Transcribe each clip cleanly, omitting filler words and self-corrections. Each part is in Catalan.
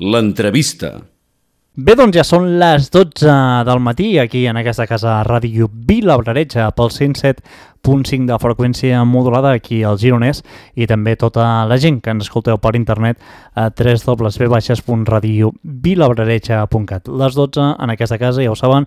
L'entrevista. Bé, doncs ja són les 12 del matí aquí en aquesta casa Ràdio Vilablareix pel 107.5 de freqüència modulada aquí al Gironès i també tota la gent que ens escolteu per internet a www.radiovilablareix.cat. Les 12 en aquesta casa, ja ho saben,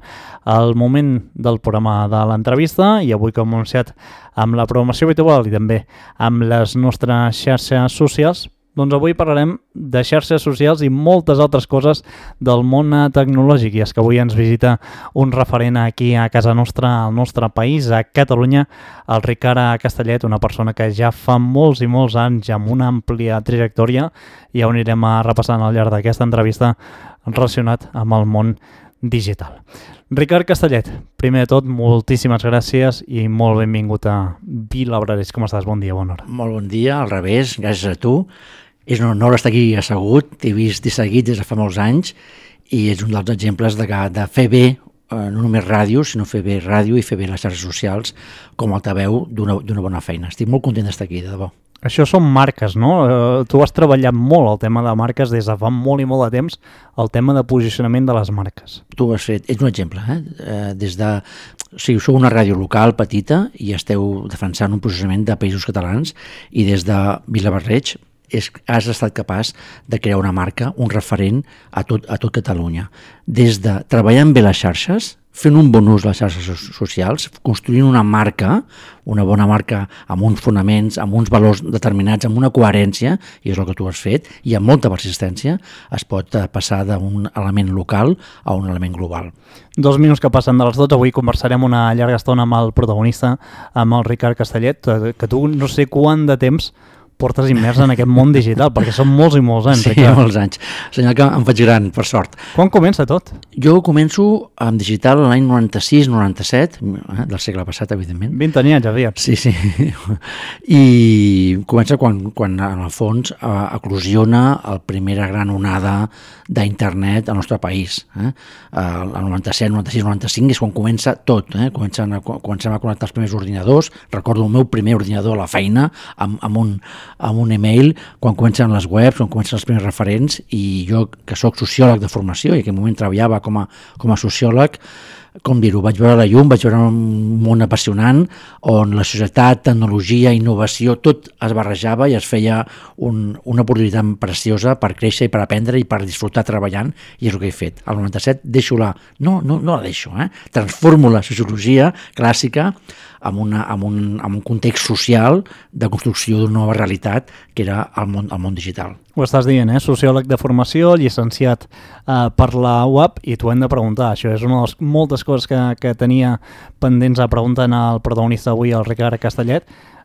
el moment del programa de l'entrevista i avui com hem anunciat amb la programació habitual i també amb les nostres xarxes socials. Doncs avui parlarem de xarxes socials i moltes altres coses del món tecnològic. I és que avui ens visita un referent aquí a casa nostra, al nostre país, a Catalunya, el Ricard Castellet, una persona que ja fa molts i molts anys amb una àmplia trajectòria i ja ho anirem repassant al llarg d'aquesta entrevista relacionat amb el món digital. Ricard Castellet, primer de tot, moltíssimes gràcies i molt benvingut a Vilablareix. Com estàs? Bon dia, bona hora. Molt bon dia, al revés, gràcies a tu. És un honor estar aquí assegut, t'he vist seguit des de fa molts anys i és un dels exemples de fer bé, no només ràdio, sinó fer bé ràdio i fer bé les xarxes socials com altaveu d'una bona feina. Estic molt content d'estar aquí, de debò. Això són marques, no? Tu has treballat molt el tema de marques des de fa molt i molt de temps, el tema de posicionament de les marques. Tu ho has fet, ets un exemple, sou una ràdio local petita i esteu defensant un posicionament de països catalans i des de Vilablareix has estat capaç de crear una marca, un referent a tot Catalunya. Des de treballant bé les xarxes, fent un bon ús de les xarxes socials, construint una marca, una bona marca amb uns fonaments, amb uns valors determinats, amb una coherència, i és el que tu has fet, i amb molta persistència, es pot passar d'un element local a un element global. 2 minuts que passen de les 12, avui conversarem una llarga estona amb el protagonista, amb el Ricard Castellet, que tu no sé quant de temps portes immers en aquest món digital, perquè són molts i molts anys. Sí, molts anys. Senyal que em faig gran, per sort. Quan comença tot? Jo començo amb digital l'any 96-97, del segle passat, evidentment. 20 anyets, aviat. Sí. I comença quan en el fons eclosiona la primera gran onada d'internet al nostre país. El 97, 96, 95 és quan comença tot. Comencem a connectar els primers ordinadors. Recordo el meu primer ordinador a la feina amb un email, quan comencen les webs, quan comencen els primers referents, i jo, que sóc sociòleg de formació i en aquell moment treballava com a sociòleg, com dir-ho, vaig veure la llum, vaig veure un món apassionant on la societat, tecnologia, innovació, tot es barrejava i es feia una oportunitat preciosa per créixer i per aprendre i per disfrutar treballant, i és el que he fet. Al 97 deixo-la, no la deixo, transformo la sociologia clàssica amb un context social de construcció d'una nova realitat que era el món digital. Ho estàs dient, sociòleg de formació, llicenciat per la UAP, i t'ho hem de preguntar. Això és una de les moltes coses que tenia pendents a preguntar al protagonista avui, el Ricard Castellet.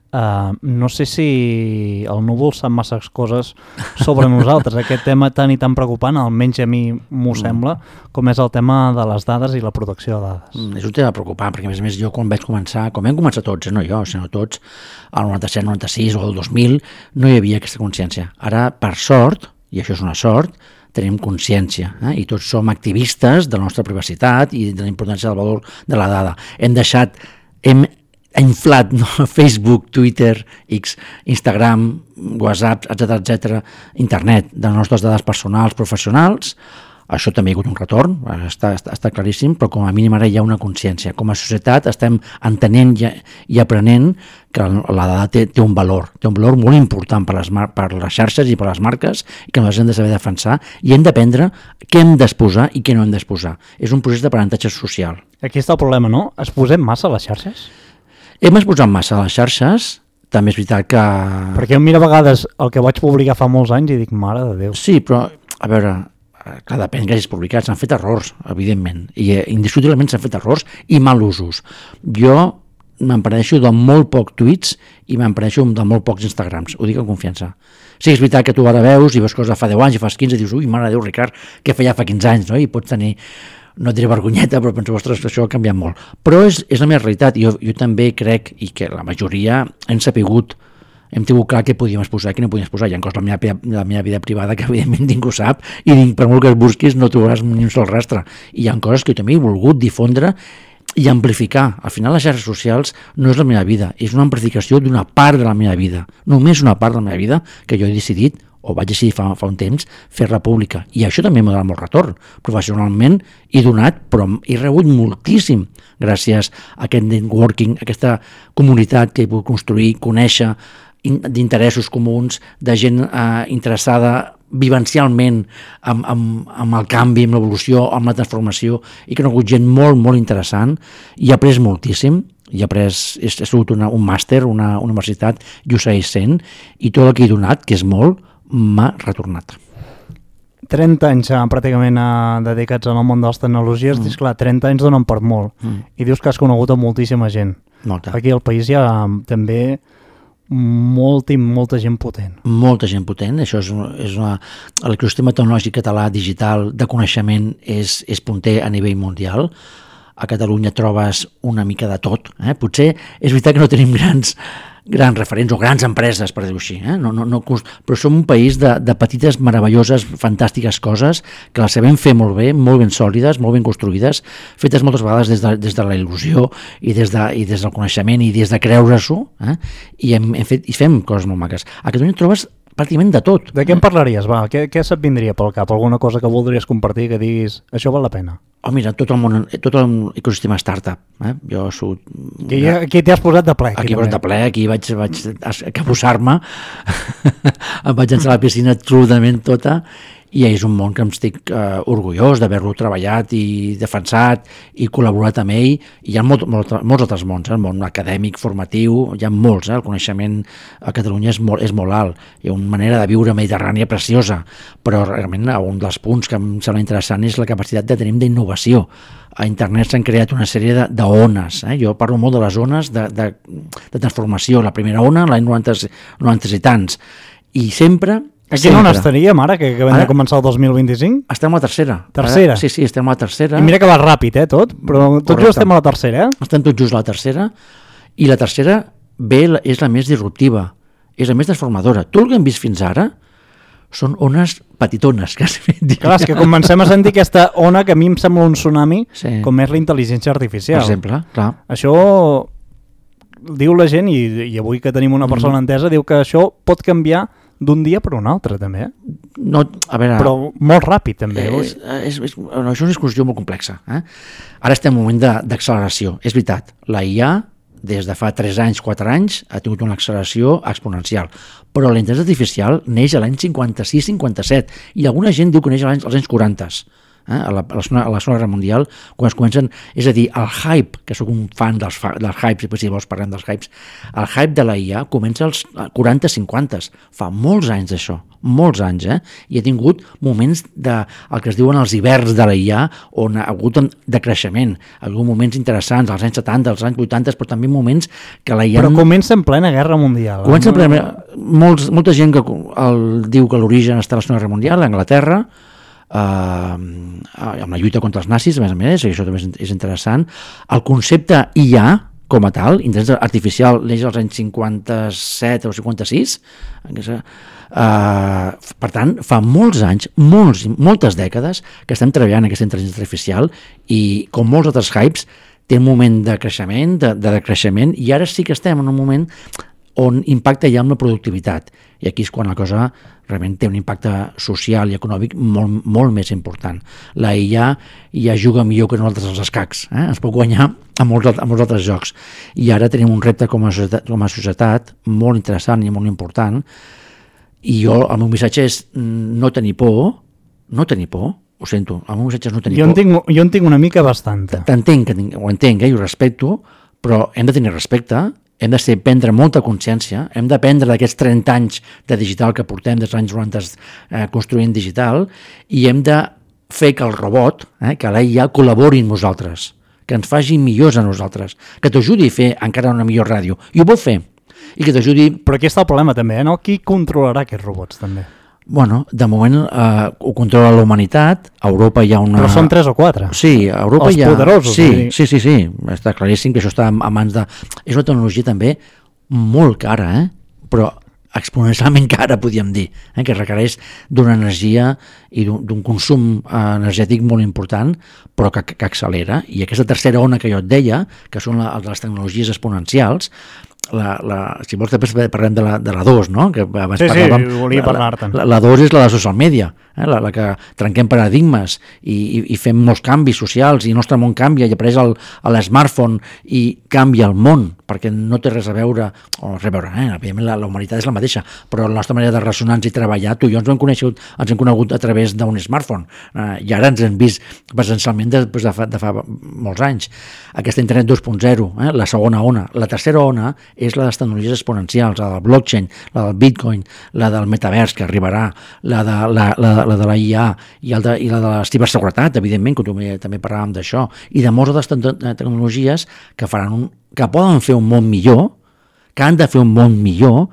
No sé si el núvol sap masses coses sobre nosaltres, aquest tema tan i tan preocupant, almenys a mi m'ho sembla, com és el tema de les dades i la protecció de dades. És un tema preocupant, perquè a més jo quan vam començar tots, no jo, sinó tots, al 97, 96 o el 2000, no hi havia aquesta consciència. Ara, per sort, i això és una sort, tenim consciència, i tots som activistes de la nostra privacitat i de la importància del valor de la dada. Hem inflat Facebook, Twitter, X, Instagram, WhatsApp, etc., internet, de les nostres dades personals, professionals. Això també hi ha hagut un retorn, està claríssim, però com a mínim ara hi ha una consciència. Com a societat estem entenent i aprenent que la dada té un valor molt important per les xarxes i per les marques, i que nosaltres hem de saber defensar i hem d'aprendre què hem d'exposar i què no hem d'exposar. És un procés d'aprenentatge social. Aquí està el problema, no? Exposem massa a les xarxes? Hem exposat massa a les xarxes, també és veritat que... Perquè jo miro a vegades el que vaig publicar fa molts anys i dic, mare de Déu. Sí, però, a veure, clar, depèn que hagis publicat, s'han fet errors, evidentment, i indiscutiblement s'han fet errors i mal usos. Jo m'empareixo de molt pocs tuits i m'empareixo de molt pocs Instagrams, ho dic amb confiança. Sí, és veritat que tu ara veus i veus coses de fa 10 anys i fas 15 i dius, ui, mare de Déu, Ricard, què feia fa 15 anys, no? I pots tenir... no diré vergonyeta, però penso, ostres, això ha canviat molt. Però és la meva realitat, i jo també crec, i que la majoria hem tingut clar què podíem exposar i què no podíem exposar. Hi ha coses de la meva vida privada que evidentment ningú sap, i per molt que es busquis no trobaràs ni un sol rastre. I hi ha coses que jo també he volgut difondre i amplificar. Al final les xarxes socials no és la meva vida, és una amplificació d'una part de la meva vida, només una part de la meva vida que jo he decidit o vaig decidir fa un temps, fer-la pública. I això també m'ha donat molt retorn. Professionalment he donat, però he rebut moltíssim gràcies a aquest networking, a aquesta comunitat que he pogut construir, conèixer, d'interessos comuns, de gent interessada vivencialment amb el canvi, amb l'evolució, amb la transformació, i que he conegut gent molt, molt interessant, i he après moltíssim. He sigut un màster, una universitat, i ho segueix sent, i tot el que he donat, que és molt, m'ha retornat. 30 anys pràcticament dedicats al món de les tecnologies, dius, clar, 30 anys donen per molt, i dius que has conegut a moltíssima gent. Molta. Aquí al país hi ha també molta gent potent. Molta gent potent, això és l'ecosistema tecnològic català digital de coneixement és punter a nivell mundial. A Catalunya trobes una mica de tot. Potser és veritat que no tenim grans referents o grans empreses, per dir-ho així, però som un país de petites, meravelloses, fantàstiques coses que les sabem fer molt bé, molt ben sòlides, molt ben construïdes, fetes moltes vegades des de la il·lusió i des del coneixement i des de creure-s'ho, i fem coses molt maques. A Catalunya trobes pràcticament de tot. De què en parlaries? Què se't vindria pel cap? Alguna cosa que voldries compartir, que diguis això val la pena? Mira, tot l'ecosistema startup. Jo soc... Aquí t'hi has posat de ple. Aquí posat de ple, aquí vaig acabussar-me, em vaig llançar a la piscina absolutament tota, i és un món que em estic orgullós d'haver-lo treballat i defensat i col·laborat amb ell. Hi ha molts altres mons, el món acadèmic, formatiu, hi ha molts, el coneixement a Catalunya és molt alt, hi ha una manera de viure mediterrània preciosa, però realment un dels punts que em sembla interessant és la capacitat que tenim d'innovació. A internet s'han creat una sèrie d'ones, jo parlo molt de les ones de transformació, la primera ona l'any 90 i tants, i sempre... Aquí no n'estaríem ara, que acabem de començar el 2025? Estem a la tercera. Tercera? Sí, estem a la tercera. I mira que va ràpid, tot, però tot just estem a la tercera, Estem tot just a la tercera, i la tercera és la més disruptiva, és la més transformadora. Tot el que hem vist fins ara són ones petitones, quasi. Clar, és que comencem a sentir aquesta ona que a mi em sembla un tsunami, com és la intel·ligència artificial. Per exemple, clar. Això diu la gent, i avui que tenim una persona entesa, diu que això pot canviar d'un dia per un altre, també. No, a veure... Però molt ràpid, també. Això és una discussió molt complexa. Ara estem en un moment d'acceleració. És veritat, la IA, des de fa 3 anys, 4 anys, ha tingut una acceleració exponencial. Però la intel·ligència artificial neix a l'any 56-57, i alguna gent diu que neix als anys 40. A la Segona Guerra Mundial, quan es comencen, és a dir, el hype, que sóc un fan dels hypes, i si vols parlem dels hypes, el hype de la IA comença als 40-50, fa molts anys d'això, molts anys, i ha tingut moments el que es diuen els hiverns de la IA, on ha hagut de creixement, ha hagut moments interessants, als anys 70, als anys 80, però també moments que la IA... Però comença en plena Guerra Mundial. Comença en plena... Molta gent que diu que l'origen està a la Segona Guerra Mundial, a Anglaterra, amb la lluita contra els nazis, a més, i això també és interessant. El concepte IA, com a tal, intel·ligència artificial, neix als anys 57 o 56, per tant, fa molts anys, moltes dècades, que estem treballant aquesta intel·ligència artificial, i com molts altres hypes, té un moment de creixement, de decreixement, i ara sí que estem en un moment on impacta ja amb la productivitat, i aquí és quan la cosa realment té un impacte social i econòmic molt més important. La IA ja juga millor que nosaltres als escacs, ens pot guanyar a molts altres jocs, i ara tenim un repte com a societat molt interessant i molt important, i el meu missatge és no tenir por, ho sento, el meu missatge és no tenir por. Jo en tinc una mica bastant. Ho entenc, i ho respecto, però hem de tenir respecte, hem de prendre molta consciència, hem d'aprendre d'aquests 30 anys de digital que portem des dels anys 90 construint digital, i hem de fer que el robot, que la IA col·labori amb nosaltres, que ens faci millors a nosaltres, que t'ajudi a fer encara una millor ràdio, i ho pot fer, i que t'ajudi... Però aquí està el problema també, no? Qui controlarà aquests robots també? Bueno, de moment ho controla la humanitat, a Europa hi ha una... Però són 3 o 4. Sí, a Europa hi ha... Els poderosos. Sí, està claríssim que això està a mans de... És una tecnologia també molt cara, però exponencialment cara, podríem dir, que requereix d'una energia i d'un consum energètic molt important, però que accelera. I aquesta tercera ona que jo et deia, que són les tecnologies exponencials, si vols després parlem de la 2, no? Que abans parlàvem, volia parlar-te'n. La 2 és la de social media, la que trenquem paradigmes i fem molts canvis socials i el nostre món canvia i apareix l'smartphone i canvia el món, perquè no té res a veure, evidentment la humanitat és la mateixa, però la nostra manera de relacionar-nos i treballar, tu i jo ens hem conegut a través d'un smartphone, i ara ens hem vist presencialment després de fa molts anys. Aquesta internet 2.0, la segona ona. La tercera ona és la de les tecnologies exponencials, la del blockchain, la del bitcoin, la del metavers que arribarà, la de la IA i la de la ciberseguretat, evidentment, que també parlàvem d'això, i de moltes altres tecnologies que poden fer un món millor, que han de fer un món millor,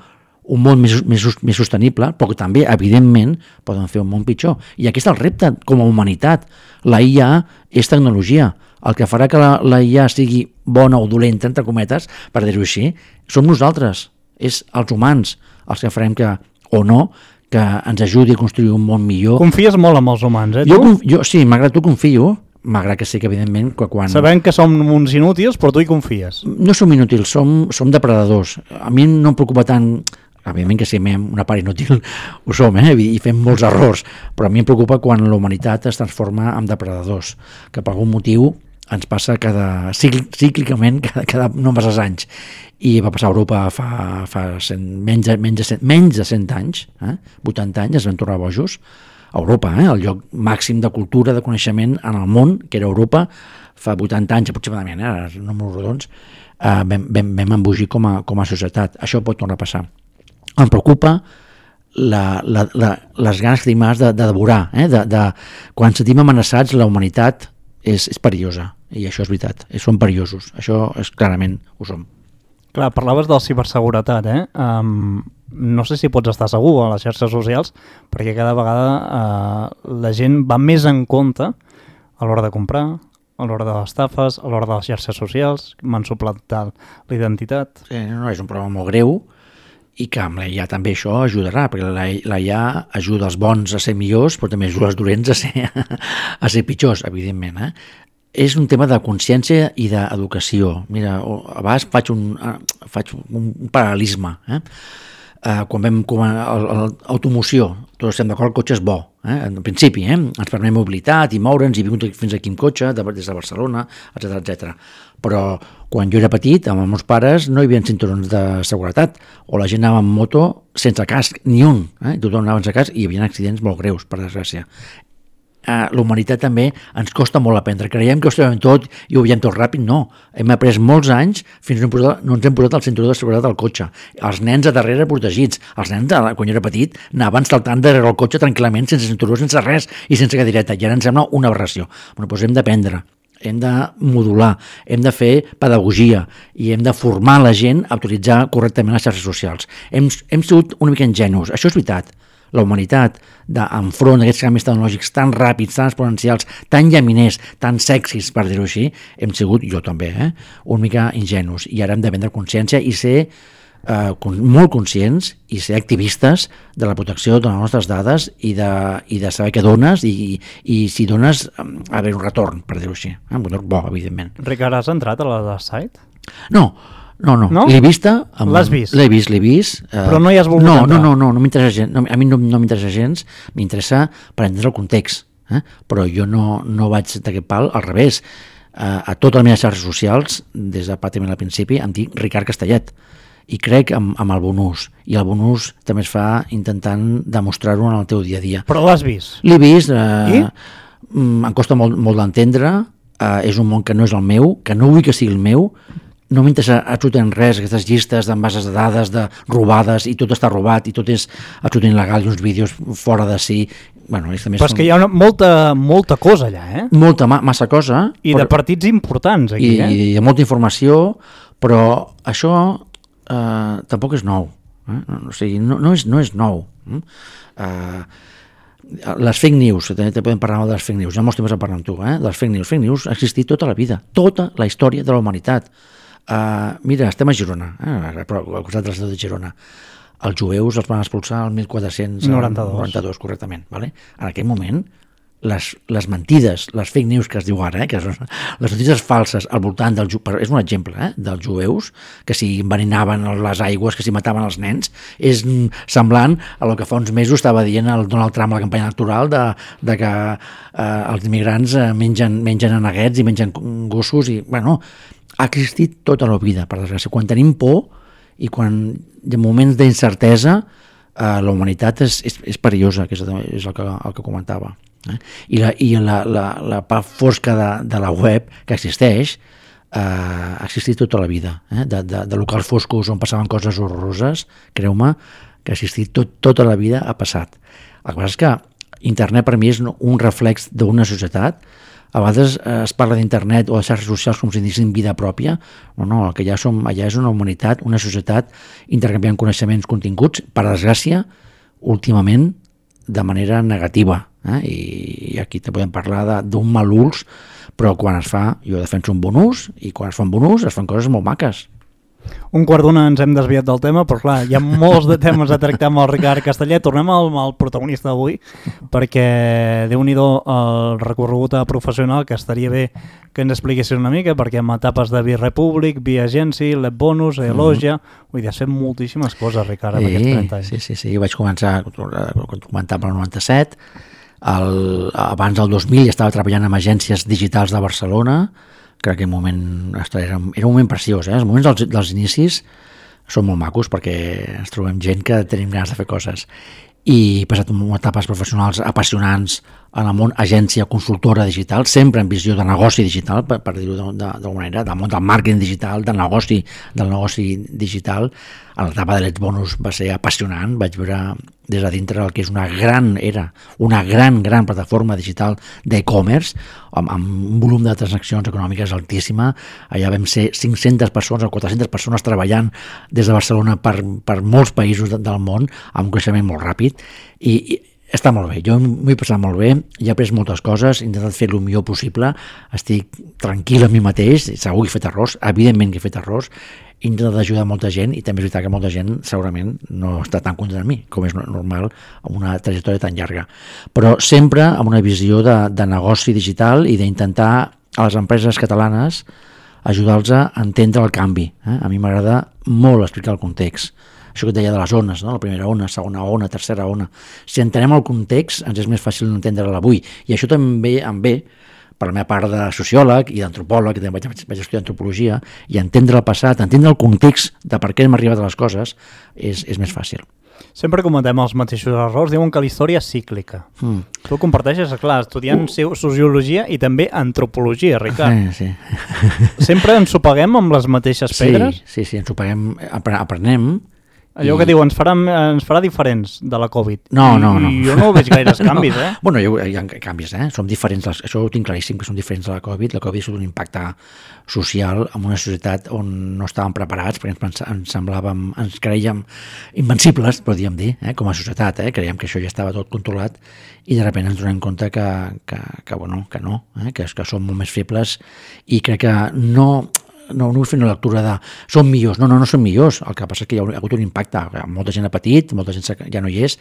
un món més sostenible, però que també, evidentment, poden fer un món pitjor. I aquest és el repte com a humanitat. La IA és tecnologia. El que farà que la IA sigui bona o dolenta, entre cometes, per dir-ho així, som nosaltres, és els humans els que farem que ens ajudi a construir un món millor. Confies molt en els humans, tu? Jo sí, malgrat tu confio, malgrat que sí que evidentment quan... Sabem que som uns inútils, però tu hi confies. No som inútils, som depredadors. A mi no em preocupa tant... Evidentment que si una part inútil ho som, i fem molts errors, però a mi em preocupa quan la humanitat es transforma en depredadors, que per algun motiu ens passa cíclicament cada no masses anys, i va passar a Europa fa menys de 100 anys, 80 anys, es van tornar bojos. A Europa, el lloc màxim de cultura, de coneixement en el món, que era Europa, fa 80 anys aproximadament, números rodons, vam embogir com a societat. Això pot tornar a passar. Em preocupa les ganes que tenim de devorar, quan sentim amenaçats, la humanitat és perillosa, i això és veritat, són perillosos, això clarament ho som. Clar, parlaves de la ciberseguretat, no sé si pots estar segur a les xarxes socials, perquè cada vegada la gent va més en compte a l'hora de comprar, a l'hora de les estafes, a l'hora de les xarxes socials, m'han suplantat l'identitat. Sí, no, és un problema molt greu, i que amb la IA també això ajudarà, perquè la IA ajuda els bons a ser millors, però també ajuda els dolents a ser pitjors, evidentment. És un tema de consciència i d'educació. Mira, a vegades faig un paral·lelisme. Quan l'automoció, tots estem d'acord, el cotxe és bo. En principi, ens permet mobilitat i moure'ns, i he vingut fins aquí amb cotxe, des de Barcelona, etc. Però quan jo era petit, amb els meus pares, no hi havia cinturons de seguretat, o la gent anava amb moto sense casc, ni un. Tothom anava sense casc i hi havia accidents molt greus, per desgràcia. La humanitat també ens costa molt aprendre. Creiem que ho sabem tot i ho veiem tot ràpid. No, hem après molts anys fins que no ens hem posat el cinturó de seguretat al cotxe. Els nens a darrere protegits. Els nens, quan jo era petit, anaven saltant darrere el cotxe tranquil·lament, sense cinturó, sense res i sense cadireta. I ara ens sembla una aberració. Doncs hem d'aprendre, hem de modular, hem de fer pedagogia i hem de formar la gent a utilitzar correctament les xarxes socials. Hem sigut una mica ingenus, això és veritat. La humanitat, enfront d'aquests canvis tecnològics tan ràpids, tan exponencials, tan llaminers, tan sexis, per dir-ho així, hem sigut, jo també, una mica ingenus. I ara hem de prendre consciència i ser molt conscients i ser activistes de la protecció de les nostres dades i de saber què dones i si dones haver un retorn, per dir-ho així. Un retorn bo, evidentment. Ricard, has entrat a la site? No. L'he vista. L'has vist? L'he vist. Però no hi has volgut entrar? No m'interessa gens. A mi no m'interessa gens, m'interessa per entendre el context. Però jo no vaig d'aquest pal, al revés. A totes les meves xarxes socials, des de pràcticament al principi, em dic Ricard Castellet. I crec amb el bon ús. I el bon ús també es fa intentant demostrar-ho en el teu dia a dia. Però l'has vist? L'he vist. Em costa molt d'entendre. És un món que no és el meu, que no vull que sigui el meu. No m'interessa absolutament res, aquestes llistes d'envases de dades, de robades, i tot està robat, i tot és absolutament il·legal, i uns vídeos fora de si... Però és que hi ha molta cosa allà, massa cosa. I de partits importants, aquí, I de molta informació, però això tampoc és nou. O sigui, no és nou. Les fake news, també podem parlar de les fake news, ja molts temps a parlar amb tu, les fake news ha existit tota la vida, tota la història de la humanitat. Mira, estem a Girona, al costat de la ciutat de Girona. Els jueus els van expulsar el 1492, correctament. En aquell moment, les mentides, les fake news que es diu ara, que són les notícies falses al voltant és un exemple, dels jueus, que si enveninaven les aigües, que si mataven els nens, és semblant a el que fa uns mesos estava dient el Donald Trump a la campanya electoral de que els immigrants mengen aneguets i mengen gossos, i bueno, ha existit tota la vida, per desgràcia. Quan tenim por i quan hi ha moments d'incertesa, la humanitat és perillosa, que és el que comentava. I la part fosca de la web que existeix ha existit tota la vida, de locals foscos on passaven coses horroroses, creu-me que ha existit tota la vida, ha passat. El que passa és que internet per mi és un reflex d'una societat. A vegades es parla d'internet o de xarxes socials com si diguéssim vida pròpia. No, el que allà és una humanitat, una societat intercanviant coneixements, continguts, per desgràcia, últimament de manera negativa. I aquí te podem parlar d'un mal ús, però quan es fa, jo defenso un bon ús, i quan es fa un bon ús es fan coses molt maques. Un quart d'una ens hem desviat del tema, però clar, hi ha molts de temes a tractar amb el Ricard Castellet. Tornem al protagonista d'avui, perquè Déu-n'hi-do el recorregut professional, que estaria bé que ens expliquessis una mica, perquè amb etapes de Bi-Republic, Bi-Agency, Lebonus, Elogia, vull dir, has fet moltíssimes coses, Ricard, en aquests 30 anys. Sí, jo vaig començar, quan comentava, el 97, abans del 2000 estava treballant en agències digitals de Barcelona. Crec que era un moment preciós. Els moments dels inicis són molt macos perquè ens trobem gent que tenim ganes de fer coses. I he passat etapes professionals apassionants en el món agència consultora digital, sempre en visió de negoci digital, per dir-ho d'alguna manera, del món del màrqueting digital, del negoci digital. En l'etapa de Letbonus va ser apassionant, vaig veure des de dintre el que és una gran plataforma digital d'e-commerce, amb un volum de transaccions econòmiques altíssima. Allà vam ser 500 persones o 400 persones treballant des de Barcelona per molts països del món, amb un creixement molt ràpid, i està molt bé, jo m'ho he passat molt bé, he après moltes coses, he intentat fer el millor possible, estic tranquil amb mi mateix, segur que he fet errors, evidentment que he fet errors, he intentat ajudar molta gent, i també és veritat que molta gent segurament no està tan content amb mi, com és normal amb una trajectòria tan llarga, però sempre amb una visió de negoci digital i d'intentar a les empreses catalanes ajudar-los a entendre el canvi. A mi m'agrada molt explicar el context. Això que et deia de les ones, no? La primera ona, segona ona, tercera ona. Si entenem el context, ens és més fàcil entendre-la avui. I això també em ve per la meva part de sociòleg i d'antropòleg, que també vaig estudiar antropologia, i entendre el passat, entendre el context de per què hem arribat a les coses, és més fàcil. Sempre comentem els mateixos errors, diuen que la història és cíclica. Tu comparteixes, clar, estudiant sociologia i també antropologia, Ricard. Sí. Sempre ens ho paguem amb les mateixes pedres? Sí, ens ho paguem, aprenem. Allò que diu, ens farà diferents de la Covid. No. I jo no veig gaires canvis, Bueno, hi ha canvis, Som diferents, això ho tinc claríssim, que som diferents de la Covid. La Covid ha sigut un impacte social en una societat on no estàvem preparats, perquè ens creiem invencibles, podríem dir, com a societat, creiem que això ja estava tot controlat, i de sobte ens donem compte que no, que som molt més febles, i crec que no vull fer una lectura de som millors, no som millors, el que passa és que hi ha hagut un impacte, molta gent ha patit, molta gent ja no hi és,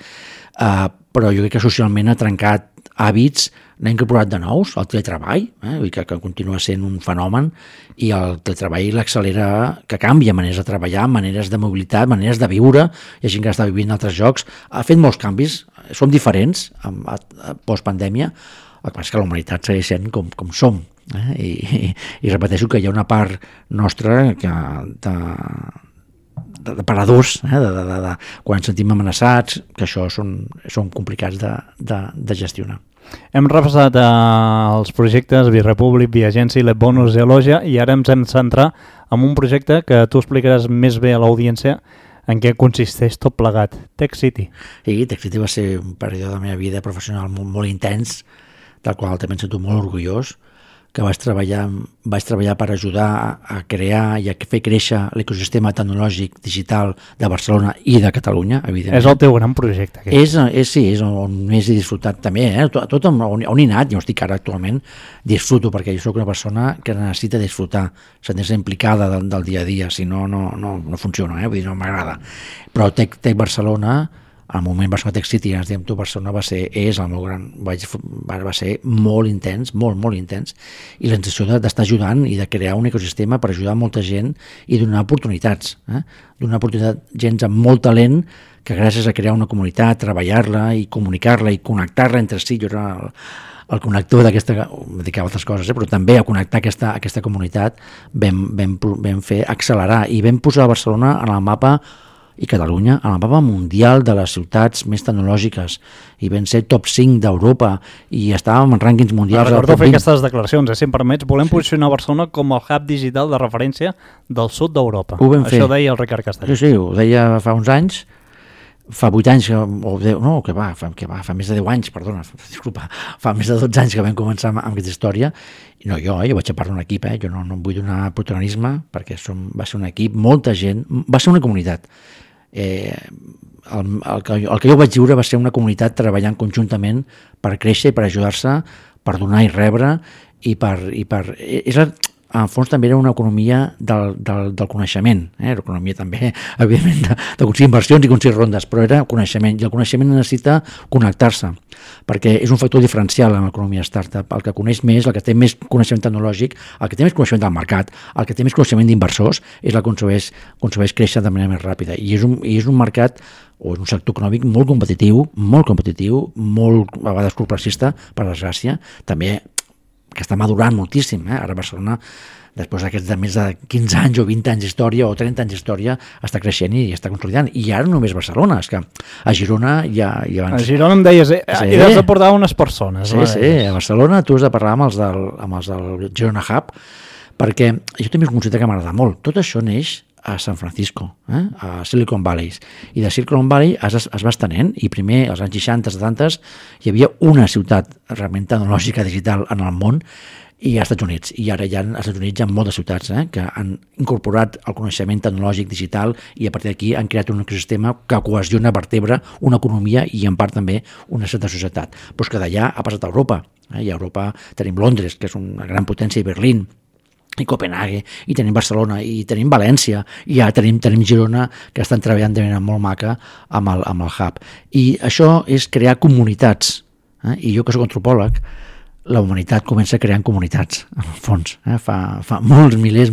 però jo crec que socialment ha trencat hàbits, n'ha incorporat de nous, el teletreball, que continua sent un fenomen, i el teletreball l'accelera, que canvia maneres de treballar, maneres de mobilitat, maneres de viure, hi ha gent que està vivint altres jocs, ha fet molts canvis, som diferents post-pandèmia, el que passa és que la humanitat segueix sent com som. I repeteixo que hi ha una part nostra de paradors, quan ens sentim amenaçats, que això són complicats de gestionar. Hem repassat els projectes Bi-Republic, Bi-Agency, Lebonus i Elogia, i ara ens hem de centrar en un projecte que tu explicaràs més bé a l'audiència en què consisteix tot plegat, Tech City. Sí, Tech City va ser un període de la meva vida professional molt intens, del qual també em sento molt orgullós, que vaig treballar per ajudar a crear i a fer créixer l'ecosistema tecnològic digital de Barcelona i de Catalunya, evidentment. És el teu gran projecte. És on més he disfrutat també, tot on he anat, jo estic ara actualment, disfruto, perquè jo soc una persona que necessita disfrutar, sentir-se implicada del dia a dia, si no funciona, vull dir, no m'agrada. Però Tech Barcelona al moment Barcelona Tech City, ens diem tu, Barcelona va ser el meu gran, va ser molt intens, molt intens, i la sensació d'estar ajudant i de crear un ecosistema per ajudar molta gent i donar oportunitats, donar oportunitat a gent amb molt talent que gràcies a crear una comunitat, treballar-la i comunicar-la i connectar-la entre si, jo era el connector d'aquesta, em dedicava a altres coses, però també a connectar aquesta comunitat vam fer accelerar i vam posar Barcelona en el mapa i Catalunya en el mapa mundial de les ciutats més tecnològiques i vam ser top 5 d'Europa i estàvem en rànquings mundials. Recordo fer aquestes declaracions, si em permets, volem posicionar Barcelona com el hub digital de referència del sud d'Europa. Això ho deia el Ricard Castellet. Sí, ho deia fa uns anys, fa 8 anys, fa més de 10 anys, perdona, disculpa, fa més de 12 anys que vam començar amb aquesta història. No, jo vaig a parlar d'un equip, jo no vull donar protagonisme perquè va ser un equip, molta gent, va ser una comunitat. El que jo vaig viure va ser una comunitat treballant conjuntament per créixer i per ajudar-se, per donar i rebre en fons també era una economia del coneixement, l'economia també, evidentment, de aconseguir inversions i aconseguir rondes, però era coneixement, i el coneixement necessita connectar-se, perquè és un factor diferencial en l'economia startup. El que coneix més, el que té més coneixement tecnològic, el que té més coneixement del mercat, el que té més coneixement d'inversors, és el que aconsegueix créixer de manera més ràpida. I és un mercat o és un sector econòmic molt competitiu, molt a vegades corporatista, per desgràcia, també que està madurant moltíssim. Ara Barcelona, després d'aquests de més de 15 anys o 20 anys d'història o 30 anys d'història, està creixent i està consolidant. I ara no només Barcelona, és que a Girona ja abans... A Girona em deies, hi has de portar unes persones. Sí, a Barcelona tu has de parlar amb els del Girona Hub, perquè jo també considero que m'agrada molt. Tot això neix a San Francisco, a Silicon Valley. I de Silicon Valley es va estenent, i primer, als anys 60, 70, hi havia una ciutat realment tecnològica digital en el món, i als Estats Units. I ara ja als Estats Units hi ha moltes ciutats que han incorporat el coneixement tecnològic digital i a partir d'aquí han creat un ecosistema que cohesiona, vertebra una economia i en part també una certa societat. Però és que d'allà ha passat a Europa. I a Europa tenim Londres, que és una gran potència, i Berlín, i Copenhague, i tenim Barcelona, i tenim València, i ja tenim Girona, que estan treballant de manera molt maca amb el hub. I això és crear comunitats. I jo, que soc antropòleg, la humanitat comença creant comunitats, en el fons. Fa molts milers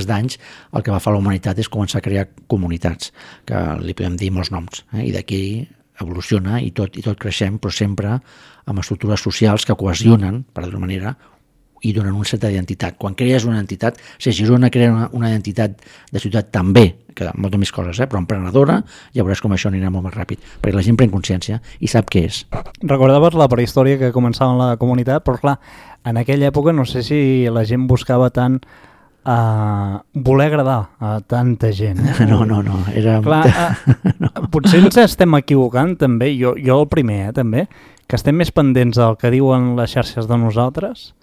d'anys el que va fer la humanitat és començar a crear comunitats, que li podem dir molts noms. I d'aquí evoluciona i tot creixem, però sempre amb estructures socials que cohesionen, per d'una manera, i donen una certa identitat. Quan crees una identitat, si Girona crea una identitat de ciutat també, que moltes més coses, però emprenedora, ja veuràs com això anirà molt més ràpid, perquè la gent pren consciència i sap què és. Recordaves la prehistòria que començava en la comunitat, però clar, en aquella època no sé si la gent buscava tant voler agradar a tanta gent. No. Era... Clar, potser ens estem equivocant també, jo el primer també, que estem més pendents del que diuen les xarxes de nosaltres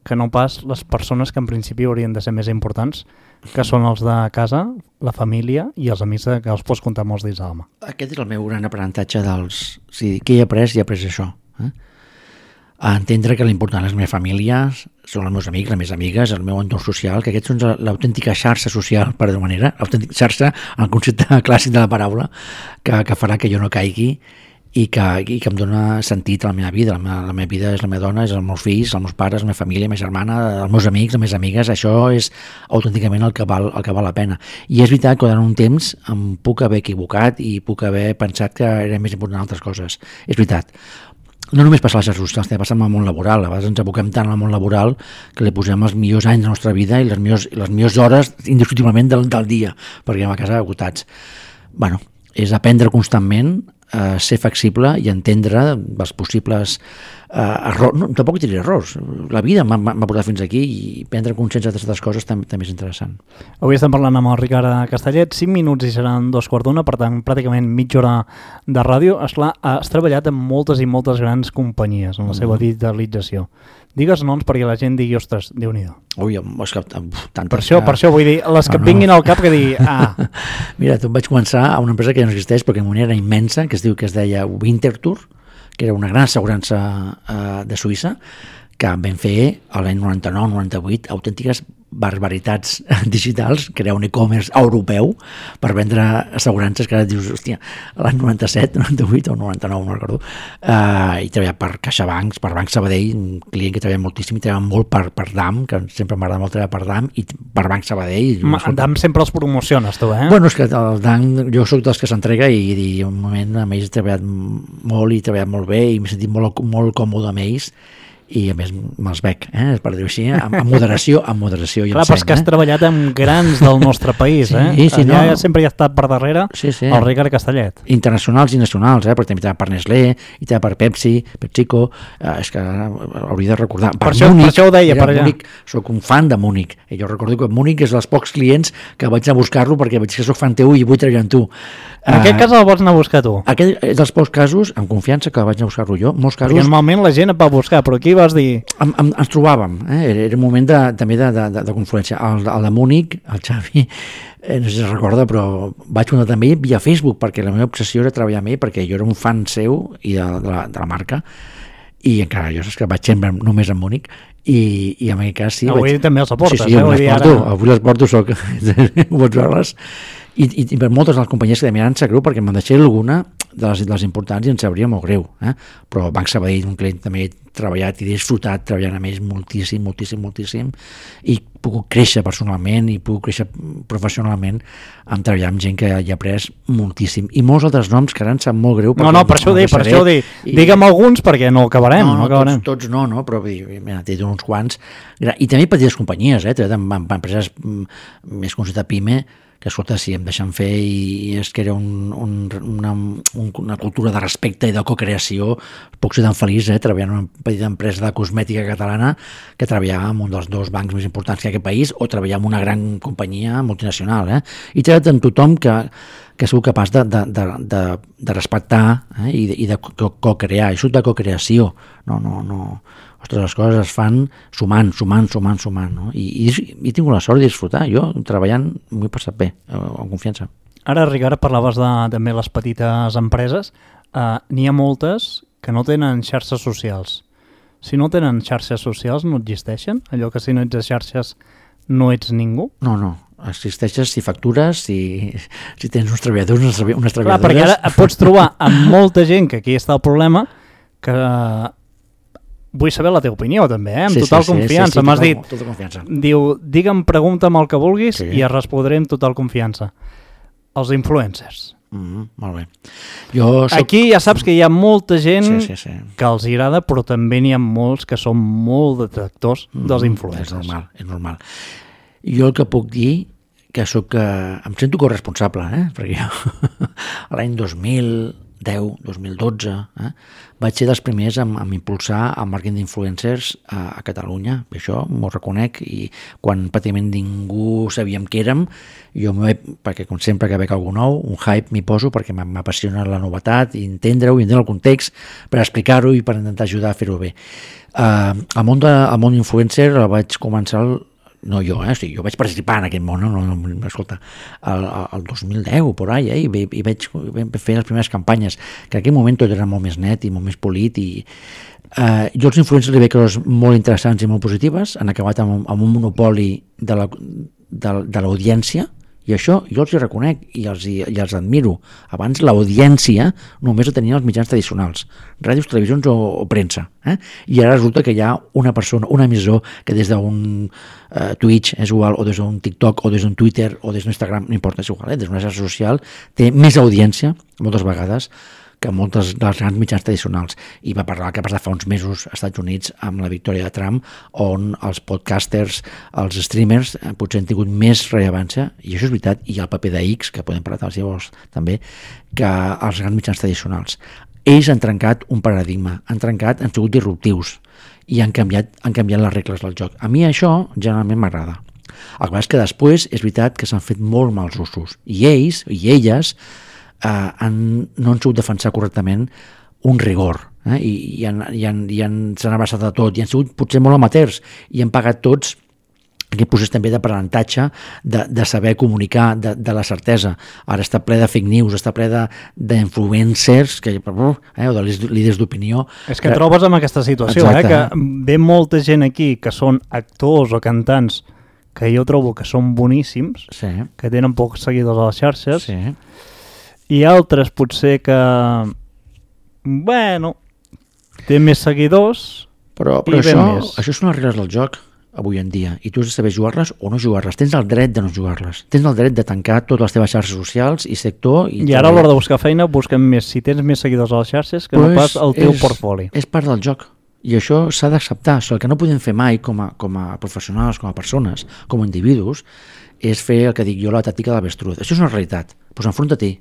que no pas les persones que en principi haurien de ser més importants, que són els de casa, la família i els amics que els pots comptar molts dins de la mà. Aquest és el meu gran aprenentatge dels... O sigui, què he après això. A entendre que l'important és la meva família, són els meus amics, les meves amigues, el meu entorn social, que aquests són l'autèntica xarxa social, per d'una manera, l'autèntica xarxa, en el concepte clàssic de la paraula, que farà que jo no caigui i que em dona sentit a la meva vida. La meva vida és la meva dona, és els meus fills, els meus pares, la meva família, la meva germana, els meus amics, les meves amigues. Això és autènticament el que val la pena. I és veritat que durant un temps em puc haver equivocat i puc haver pensat que era més important altres coses. És veritat. No només passa a les xarxes socials, també passa al món laboral. A vegades ens aboquem tant al món laboral que li posem els millors anys de la nostra vida i les millors hores indiscutiblement del dia, perquè anem a casa agotats. Bueno, és aprendre constantment, ser flexible i entendre els possibles errors. No, tampoc diré errors. La vida m'ha portat fins aquí i prendre consciència d'aquestes coses també és interessant. Avui estem parlant amb el Ricard Castellet, 5 minuts i seran 2:15, per tant, pràcticament mitja hora de ràdio. Esclar, has treballat amb moltes i moltes grans companyies en la seva digitalització. Digues noms perquè la gent digui, ostres, Déu-n'hi-do. Ui, és que tantes... Per això vull dir, les que vinguin al cap que digui, Mira, tu vaig començar a una empresa que ja no existeix perquè en era immensa, que es deia Winterthur, que era una gran assegurança de Suïssa, que vam fer l'any 99-98 autèntiques barbaritats digitals, crear un e-commerce europeu per vendre assegurances que ara dius, hòstia, l'any 97, 98 o 99, no recordo, i treballar per CaixaBank, per Banc Sabadell, un client que treballa moltíssim, i treballa molt per DAM, que sempre m'agrada molt treballar per DAM, i per Banc Sabadell. DAM sempre els promociones, tu, eh? Bueno, és que el DAM, jo soc dels que s'entrega i un moment amb ells he treballat molt i he treballat molt bé i m'he sentit molt còmode amb ells, i a més me'ls bec, per dir-ho així, amb moderació i clar, però és que has treballat amb grans del nostre país, sí, allà sempre hi ha estat per darrere el Ricard Castellet. Internacionals i nacionals, perquè també treballa per Nestlé, i treballa per Pepsi, PepsiCo, és que hauria de recordar. Per això ho deia, per allà. Múnich, soc un fan de Múnich, i jo recordo que Múnich és dels pocs clients que vaig a buscar-lo perquè veig que soc fan teu i vull treballar amb tu. En aquest cas el vols anar a buscar tu? Aquest és dels pocs casos, amb confiança, que vaig anar a buscar-lo jo. Molts casos... Perquè normalment la gent et va buscar, però aquí vas dir... Ens trobàvem, era un moment també de confluència. El de Múnich, el Xavi, no sé si es recorda, però vaig comptar també via Facebook, perquè la meva obsessió era treballar amb ell, perquè jo era un fan seu i de la marca, i encara jo saps que vaig sempre només a Múnich, i en aquest cas sí... Avui també els aportes, sí, avui les porto, soc... ho pots veure-les. I per moltes de les companyies que també em sap greu, perquè me'n deixaré alguna de les importants i em sabria molt greu, però Banc Sabadell, un client també he treballat i he disfrutat treballant amb ells moltíssim, i puc créixer personalment i puc créixer professionalment amb treballar amb gent que hi ha après moltíssim, i molts altres noms que ara em sap molt greu. No, per això ho dic, digue'm alguns perquè no acabarem. Tots no, però mira, t'he dit uns quants, i també petites companyies, treballat amb empreses més considerades PIME, que escolta, si em deixen fer i es crea una cultura de respecte i de cocreació, puc ser tan feliç treballant en una petita empresa de cosmètica catalana que treballar en un dels dos bancs més importants que aquest país, o treballar en una gran companyia multinacional. I treballat amb tothom que sou capaç de respectar i de cocrear. Això de cocreació. No. Ostres, les coses es fan sumant, no? I he tingut la sort de disfrutar. Jo, treballant, m'ho he passat bé, amb confiança. Ara, Ricard, parlaves també les petites empreses. N'hi ha moltes que no tenen xarxes socials. Si no tenen xarxes socials, no existeixen? Allò que si no ets a xarxes no ets ningú? No. Existeixes si factures, si tens uns treballadors, unes treballadores... Clar, perquè ara et pots trobar amb molta gent, que aquí està el problema, que... Vull saber la teva opinió, també, amb total confiança. M'has dit, tota confiança. Diu, digue'm, pregunta'm el que vulguis i et respondré amb total confiança. Els influencers. Molt bé. Aquí ja saps que hi ha molta gent que els agrada, però també n'hi ha molts que són molt detractors dels influencers. És normal. Jo el que puc dir, que em sento corresponsable, perquè jo l'any 2010-2012 vaig ser dels primers a impulsar el màrqueting d'influencers a Catalunya. Això m'ho reconec, i quan pràcticament ningú sabíem què érem, jo perquè com sempre que veig algú nou, un hype m'hi poso perquè m'apassiona la novetat i entendre-ho, i entendre el context per explicar-ho i per intentar ajudar a fer-ho bé. El món influencer el vaig començar no jo, jo vaig participar en aquest món, escolta, el 2010 por ahí, i vaig fer les primeres campanyes, que en aquell moment tot era molt més net i molt més polit, i jo els influencers li veig coses molt interessants i molt positives. Han acabat amb un monopoli de l'audiència, i això jo els hi reconec i els admiro. Abans l'audiència només la tenien els mitjans tradicionals, ràdios, televisions o premsa, i ara resulta que hi ha una persona, un emissor, que des d'un Twitch és igual, o des d'un TikTok, o des d'un Twitter, o des d'un Instagram, no importa, és igual, des d'una xarxa social, té més audiència, moltes vegades, que moltes dels grans mitjans tradicionals. I va parlar que va passar fa uns mesos als Estats Units amb la victòria de Trump, on els podcasters, els streamers, potser han tingut més rellevància, i això és veritat, i el paper de X, que podem parlar llavors també, que els grans mitjans tradicionals. Ells han trencat un paradigma, han sigut disruptius, i han canviat les regles del joc. A mi això generalment m'agrada. El que passa és que després és veritat que s'han fet molt mals usos, i ells i elles no han sabut defensar correctament un rigor, i s'han abraçat a tot, i han sigut potser molt amateurs, i han pagat tots aquest procés també d'aprenentatge, de saber comunicar, de la certesa. Ara està ple de fake news, està ple d'influencers o de líders d'opinió. És que trobes amb aquesta situació, que ve molta gent aquí que són actors o cantants que jo trobo que són boníssims, que tenen pocs seguidors a les xarxes, i altres potser que, té més seguidors però això són les regles del joc avui en dia, i tu has de saber jugar-les o no jugar-les. Tens el dret de no jugar-les. Tens el dret de tancar totes les teves xarxes socials i sector. I ara a l'hora de buscar feina busquem més si tens més seguidors a les xarxes que no pas el teu portfoli. És part del joc. I això s'ha d'acceptar. El que no podem fer mai com a professionals, com a persones, com a individus, és fer el que dic jo, la tàctica de l'avestruz. Això és una realitat. Doncs enfronta-t'hi.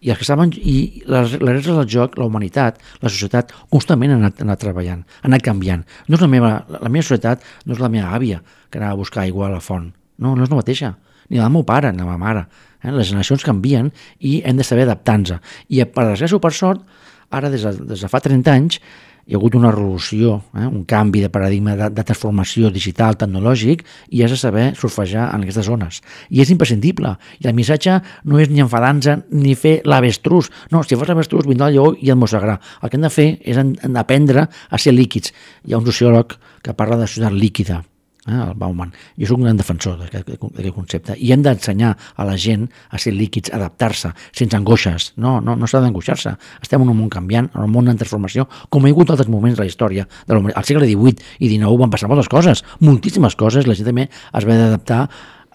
I els que saben, i les regles del joc, la humanitat, la societat, constantment ha anat treballant, ha anat canviant. No és la meva societat no és la meva àvia que anava a buscar aigua a la font. No és la mateixa. Ni la meu pare, ni la meva mare. Les generacions canvien i hem de saber adaptar-nos. I per desgràcia o per sort, ara des de fa 30 anys, hi ha hagut una revolució, un canvi de paradigma de transformació digital, tecnològic, i has de saber surfejar en aquestes zones. I és imprescindible. I el missatge no és ni enfadar-nos ni fer l'avestruz. No, si fas l'avestruz vindrà el lleó i el mossegarà. El que hem de fer és aprendre a ser líquids. Hi ha un sociòleg que parla de societat líquida, el Bauman. Jo soc un gran defensor d'aquest concepte. I hem d'ensenyar a la gent a ser líquids, adaptar-se, sense angoixes. No s'ha d'angoixar-se. Estem en un món canviant, en un món en transformació, com hi ha hagut altres moments de la història. Al segle XVIII i XIX van passar moltes coses, moltíssimes coses. La gent també es va adaptar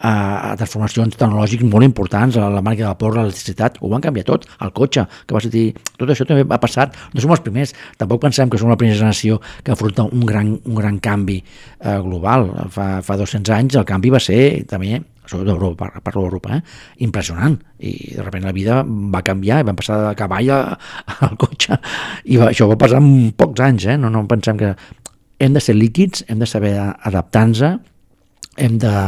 a transformacions tecnològiques molt importants, a la màquina de vapor, a l'electricitat, ho van canviar tot, el cotxe, que va sortir, tot això també va passar, no som els primers, tampoc pensem que som la primera generació que afronta un gran canvi global. Fa 200 anys el canvi va ser també, sobretot d'Europa, parlo d'Europa, impressionant, i de sobte la vida va canviar i vam passar de cavall al cotxe, i això va passar en pocs anys, no pensem que hem de ser líquids, hem de saber adaptar-nos, hem de